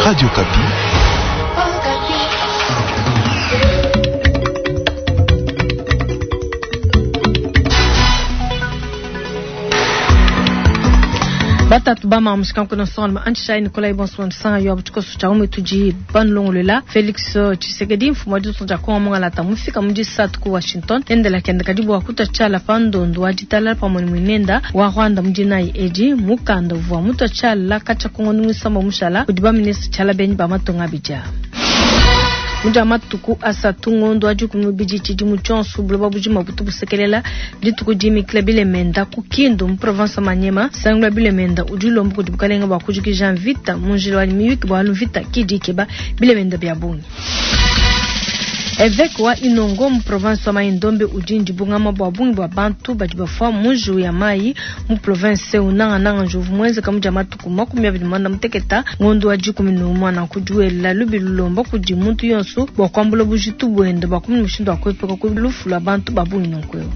Radio Okapi. Batatu ba mamu shikanku na songa ma anchi Nikolai Bonsoir sanga yo abuchiko cha ume tuji banlongolola Felix Tshisekedi mfumo wa ditunga dia Kongo mongalata mufika mu disatu ku Washington endela kenda kadi bua kutua tshiala pa ndondo wa ditalala pamue ne muinenda wa Rwanda mu dinayi edi mukanda uvua mutua tshiala katshia ku ngondo muisamba mushala kudi ba ministre tshiala benyi ba matunga abidi aa. Mu dia matuku asatu ngondo wa dikumi mubidi tshidimu tshionso buloba bujima butu busekelela dituku dimikila bilemenda ku Kindu mu province wa Maniema. Sangilu wa bilemenda udi ulomba kudi bukalenga bua kujikija mvita mu njila wa miyuki bualu mvita kidi ikeba bilemenda bia bungi. Eveke wa Inongo mu province wa Mai-Ndombe udi ndibungama bua bungi bua bantu badi bafua mu njiwu ya mayi mu province eu, nangananga njiwu uvua muenzeka mu dia matuku 25 ngondo wa 11. Nanku diwela lubilu lulomba kudi muntu yonso bua kuambula bujitu buende bua kumona mushindu wa kuepuka ku lufu lua bantu ba bungi nunku eu.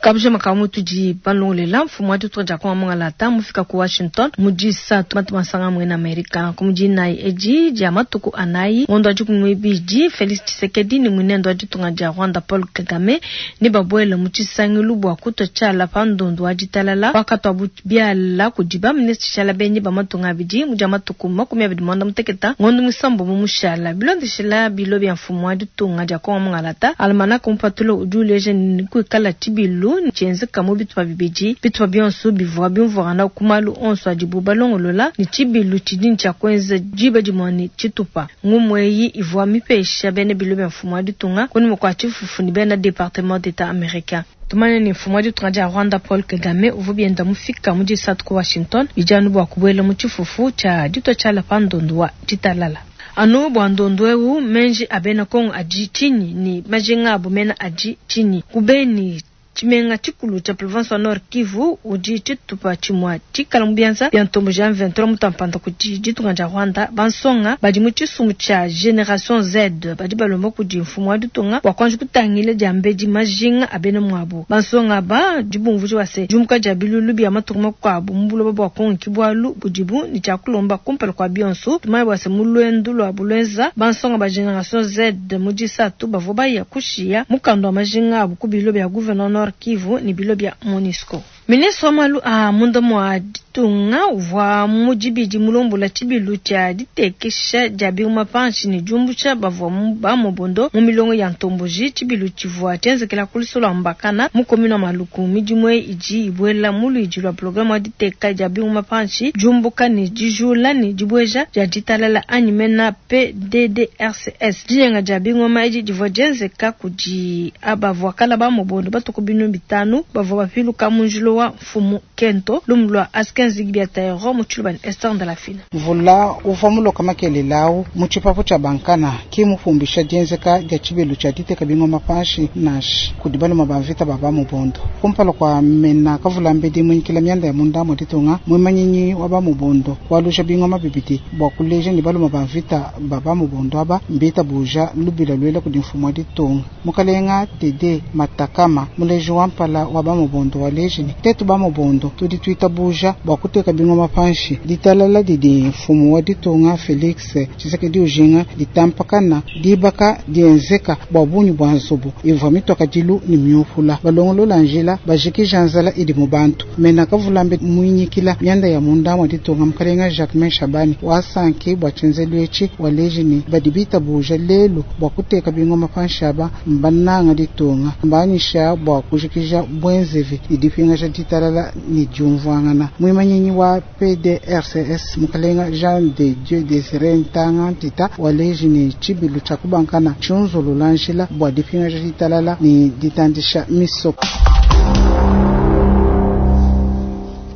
Kabujima ka mutu di balongolela mfumu wa ditunga dia Kongo mungalata mufika ku Washington mu disatu matu masanga muena Amerika ku mu dinayi edi dia matuku anayi ngondo wa 12 Felix Tshisekedi ne muinende wa ditunga dia Rwanda Paul Kagame ne babuele mu tshisangilu bua kutua tshiala pa ndondu wa ditalala wakatuabu biala kudi ba ministre tshiala benyi ba matunga abidi mu dia matuku 25 ngondo muisambombo mushala bilondeshela bilo bia mfumu wa ditunga dia Kongo mungalata. Almanach mupatula udi uleja ne kuikala tshibilu tshienzeka mu bitupa bibidi. Bitupa bionso bivua biumvuangana ku malu onso adibu balongolola ne tshibilu tshidi ne tshia kuenza diba dimue ne tshitupa. Ngumu eyi ivua mipesha bena bilo bia mfumu wa ditunga kunyima kua tshifufu ne bena Departement d'Etat americain. Tumanye ne mfumu wa ditunga dia Rwanda Paul Kagame uvua bienda mufika mu disatu ku Washington bidi anu bua kubuela mu tshifufu tshia ditua tshiala pa ndondu wa ditalala. Anu bua ndondu eu, menji a bena Kongo adi tshinyi ne majinga abu mena adi tshinyi? Ku Beni, tshimenga tshikulu tshia province wa Nord Kivu, udi tshitupa tshimua tshikala mu bianza bia ntomboji ya M23 mutampanda kudi ditunga dia Rwanda, bansonga badi mu tshisumbu tshia Generation Z badi balomba kudi mfumu wa ditunga bua kuanji kutangila diambedi majinga a bena muabu. Bansonga aba dibumvuija bua se diumuka dia bilulu bia matunga makuabu mu buloba bua Kongo ki bualu budibu ne tshia kulomba kumpala kua bionso. Tumanye bua se mu luendu luabu luenza bansonga ba Generation Z mu disatu bavua baya kushiya mukanda wa majinga abu ku bilo bia gouverneur Nord Kivu ne bilo bia Monusco. Ministre wa malu a munda mua ditunga uvua mu dibidi mulombola tshibilu tshia ditekesha dia biuma panshi ne diumbusha bavua ba mobondo mu milongo ya ntomboji. Tshibilu tshivua tshienzekela ku lusolo lua Mbakana mu commune wa Maluku. Midimu eyi idi ibuela mu luidi lua programe wa diteka dia biuma panshi, diumbuka ne dijula ne dibueja dia ditalala anyi mena PDDRCS. Dinyenga dia bingoma edi divua dienzeka kudi aba bavua kala ba mobondo batuku 500 bavua bapiluka mu njila wa mfumu Kento lumu lua Askin Zigbi ya Taero mu tshiluba ne Esther Ndalafina. Mvula uvua muloka makelela au mu tshipapu tshia Bankana ki mupumbisha dienzeka dia tshibilu tshia diteka bingoma panshi nansha kudi baluma ba mvita ba ba mobondo. Kumpala kua mena kavulambedi muinkila mianda ya munda mua ditunga muimanyinyi wa ba mobondo walusha bingoma bibidi bua kuleja ne baluma ba mvita ba ba mobondo aba mbita buja lubila lwela kudi mfumu wa ditunga. Mukalenga Tede Matakama muleji wa mpala wa ba mobondo wa leji ne tetu ba mobondo tudi twita buja bua kuteka bingoma panshi ditalala didi mfumu wa ditunga Felix Tshisekedi ujinga ditampakana dibaka dienzeka bua bungi bua nzubu ivua mitoka dilu ne miupula balongolola njila bajikija nzala idi mu bantu mena kavulambe muinyikila mianda ya munda mua ditunga mukalenga Jacquemain Shabani wasanki bua tshienzelu etshi waleji ne badi bita buja lelu bua kuteka bingoma panshi aba mbananga ditunga mbanyisha bua kujikija bwenzevi idipingaja ditalala ne diumvuangana. Muimanyinyi wa PDRCS mukalenga Jean de Dieu Désiré Ntanga Ntita waleji ne tshibilu tshia kubankana tshiunzulula njila bua dipingaja ditalala ne ditandisha misoko.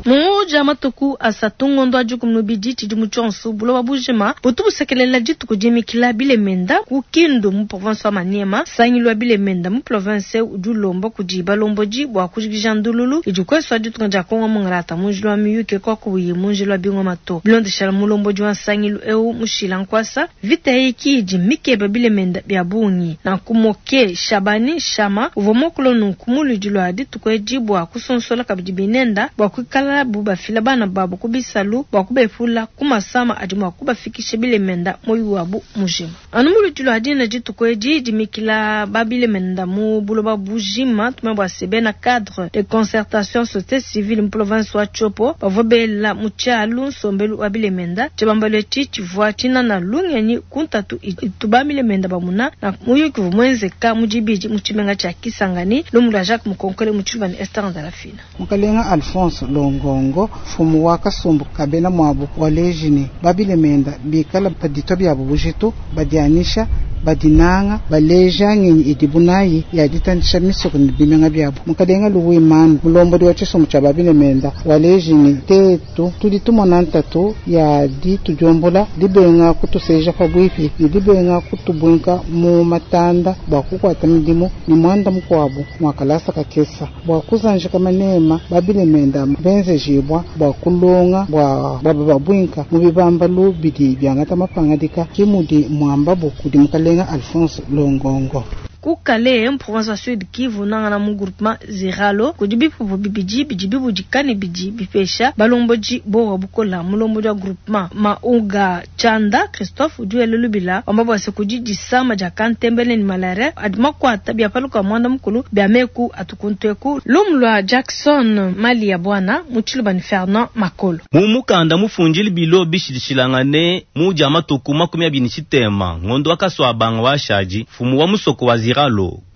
Mu matuku asatu ngondo wa 12 tshidimu tshionso buloba bujima butu busekelela dituku dimikila bilemenda ku Kindu mu province wa Maniema. Sangilu wa bilemenda mu province udi ulomba kudi balombodi bua kujikija ndululu idi kuesu wa ditunga dia Kongo mungalata mu njila wa miyuke kwa kubuyi mu njila wa bingoma to. Bilondeshela mulombodi wa nsangilu eu mushila nkwasa vita eyi idi mikeba bilemenda bia bungi na kumoke Shabani Shama uvua mokolo nunku mu luidi lua dituku edi bua kusonsola kabidi binenda bua kuikala kuikalabu bafila bana babu ku bisalu bua kubepula ku masama adi mua kubafikisha bilemenda muoyo wabu mujima. Anu mu luidi lua dina dituku edi dimikila ba bilemenda mu buloba bujima, tumanye bua se bena cadre de concertation societe civile mu province wa Tshopo bavua bela mu tshialu nsombelu wa bilemenda. Tshibambalu etshi tshivua tshinana lungenyi ku ntatu itu ba milemenda bamuna na muyuki uvua muenzeka mu dibidi mu tshimenga tshia Kisangani. Lumu lua Jacques Mukonkole mu tshiluba ne Esther Ndalafina. Mukalenga Alphonse Longongo, mfumu wa kasumbu ka bena muabu waleji ne, ba bilemenda bikala baditua biabu bujitu, badianyisha, badinanga, baleja ngenyi idibu nayi ya ditandisha misoko ne bimenga biabu. Mukalenga Louis Manu, mulombodi wa tshisumbu tshia ba bilemenda, waleji ne, tetu tudi tumona ntatu ya ditudiombola, dibenga kutuseja pabuipi ne dibenga kutubuinka mu matanda bua kukuata midimu ne muanda mukuabu mua kalasa kakesa bua kuzanjika manema ba bilemenda benzejibua bua kulonga bua baba babuinka mu bibambalu bidi biangata mapangadika ke mudi muambabu kudi mukalenga Alphonse Longongo. Ku Kalehe, mu province wa Sud Kivu, nangana mu groupement Ziralo, kudi bipupu bibidi bidi bibudika ne bidi bipesha balombodi bowa bukola. Mulombodi wa groupement Mauga Tshanda Christophe udi wela lubila wamba bua se kudi disama dia kantembele ne malaria adi makuata bia paluka muanda mukulu bia meku atu kuntu eku. Lumu lua Jackson Mali ya Bwana mu tshiluba ne Fernand Makolo. Mu mukanda mufundile bilo bishilashilangane mu dia matuku 23 ngondo wa Kasuabanga wa shadi, mfumu wa musoko wa Ziralo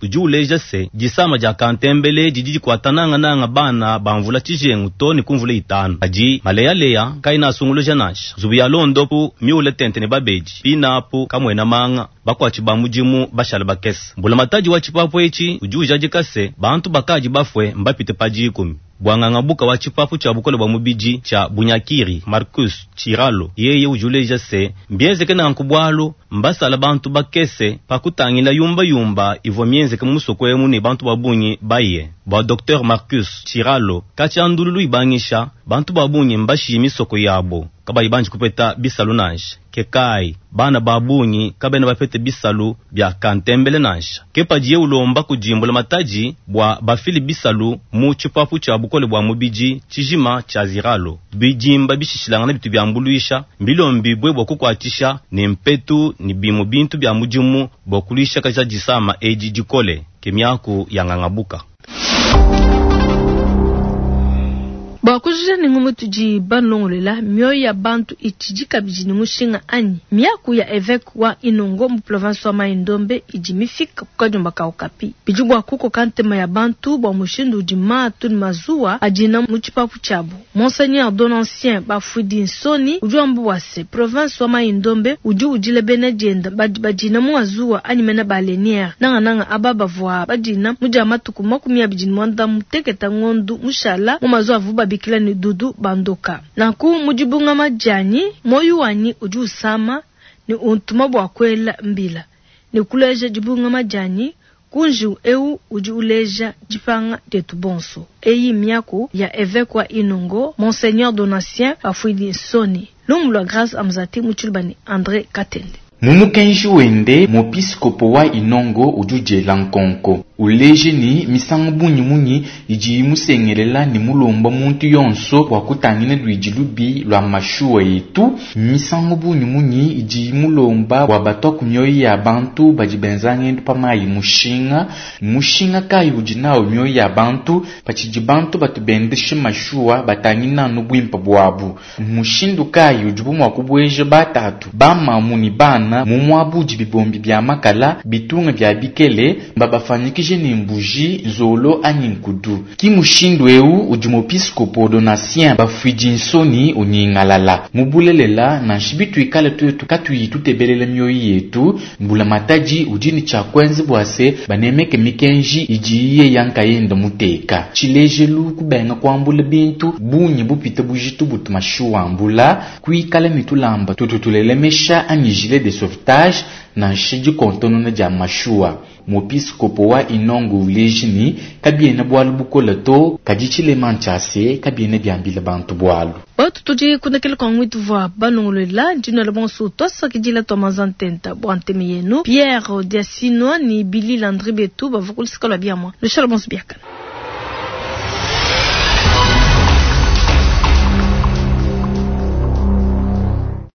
udi uleja se disama dia kantembele didi dikuata nangananga bana ba mvula tshijengu to ne ku mvula itanu. Kadi maleyaleya kaena asunguluja nansha. Nzubu ya londopu miule tente ne babedi, pinapu kamuena manga, bakuatshi ba mudimu bashala bakese. Mbulamatadi wa tshipapu etshi udi ujadika se bantu bakadi bafue mbapite pa 10. Bwanganga buka wa tshipapu tshia bukole bua mubidi tshia Bunyakiri Marcus Chiralo yeye udi uleja se mbienzeke nanku bualu mbasala bantu bakese pa kutangila yumba yumba ivua mienzeke mu musoko emu ne bantu ba bungi baye. Bua Dr Marcus Chiralo katshia ndululu ibangisha bantu ba bungi mbashiye misoko yabo kabayi banji kupeta bisalu nansha. Ke kai bana ba bungi kabena bapete bisalu bia kantembele nansha. Ke padiye ulomba kudimbula matadi bua bafile bisalu mu tshipapu tshia bukole bua mubidi tshijima tshia Ziralo. Bidimba bishishilangana bitu biambuluisha mbilombibue bua kukuatshisha ne mpetu ne bimue bintu bia mudimu bua kuluisha kaja disama edi dikole. Ke miaku ya ngangabuka. Bua kujija ne ngumu tudi balongolola, mioyo ya bantu itshidi kabidi ne mushinga anyi? Miaku ya evêque wa Inongo mu province wa Mai-Ndombe idi mifika ku kadiomba ka Okapi. Bidi bua kukoka ntema ya bantu bua mushindu udi matu ne mazuwa adina mu tshipapu tshiabu. Monseigneur Donatien Bafuidi Nsoni udi wamba bua se province wa Mai-Ndombe udi udila bena dienda badi badina mu mazuwa anyi mena baleniere, nangananga aba bavua badina mu dia matuku 29 ngondu mushala mu mazuwa avu babikila ne Dudu Bandoka. Nanku mu dibungama dianyi, moyo wanyi udi usama ne untuma bua kuela mbila ne kuleja dibungama dianyi ku njiwu eu udi uleja dipanga dietu bonso. Eyi miaku ya évêque wa Inongo Monseigneur Donatien Bafuidi Nsoni. Lumu lua Grâce Amzati mu tshiluba ne André Katende. Mu mukenji wende muepiskopo wa Inongo udi udiela nkonko uleje ni misangu bungi munyi idi imusengelela ne mulomba muntu yonso bua kutangila luidi lubi lua mashuwa yetu, misangu bungi munyi idi imulomba bua batua ku mioyo ya bantu badi benza ngendu pa mayi mushinga, mushinga kayi udi nawo mioyo ya bantu patshidi bantu batu bendeshe mashuwa batangila anu buimpe buabu, mushindu kayi udibu mua kubueja batatu bamamu ne bana mu muabu udi bibombi bia makala bitunga bia bikele mbabafanyikije ne mbuji nzolo anyi nkudu. Ki mushindu eu udi muepiskopo Donatien Bafuidi Nsoni unyingalala mubulelela nansha bituikale tuetu katuyi tutebelela mioyo yetu, mbula matadi udi ne tshia kuenza bua se banemeke mikenji idi iye yankayenda muteka tshilejelu kubenga kuambula bintu bungi bupite bujitu butu mashuwa mbula kuikala mitulamba tututulelemesha anyi gilet de sauvetage nansha dikontonona dia mashuwa. Muepiskopo wa Inongo uleji ni kabiena bualu bukola to kadi tshilema ntshia kabiena biambila bantu bualu. Batu tudi kundekela kwa ngwitu vwa banongolola ndino la bonso twasakidila twa mazantenta bua nteme yenu Pierre Diasino ni Billy Landry betu bavua kulusika lua biamwa lushala bonso biakana.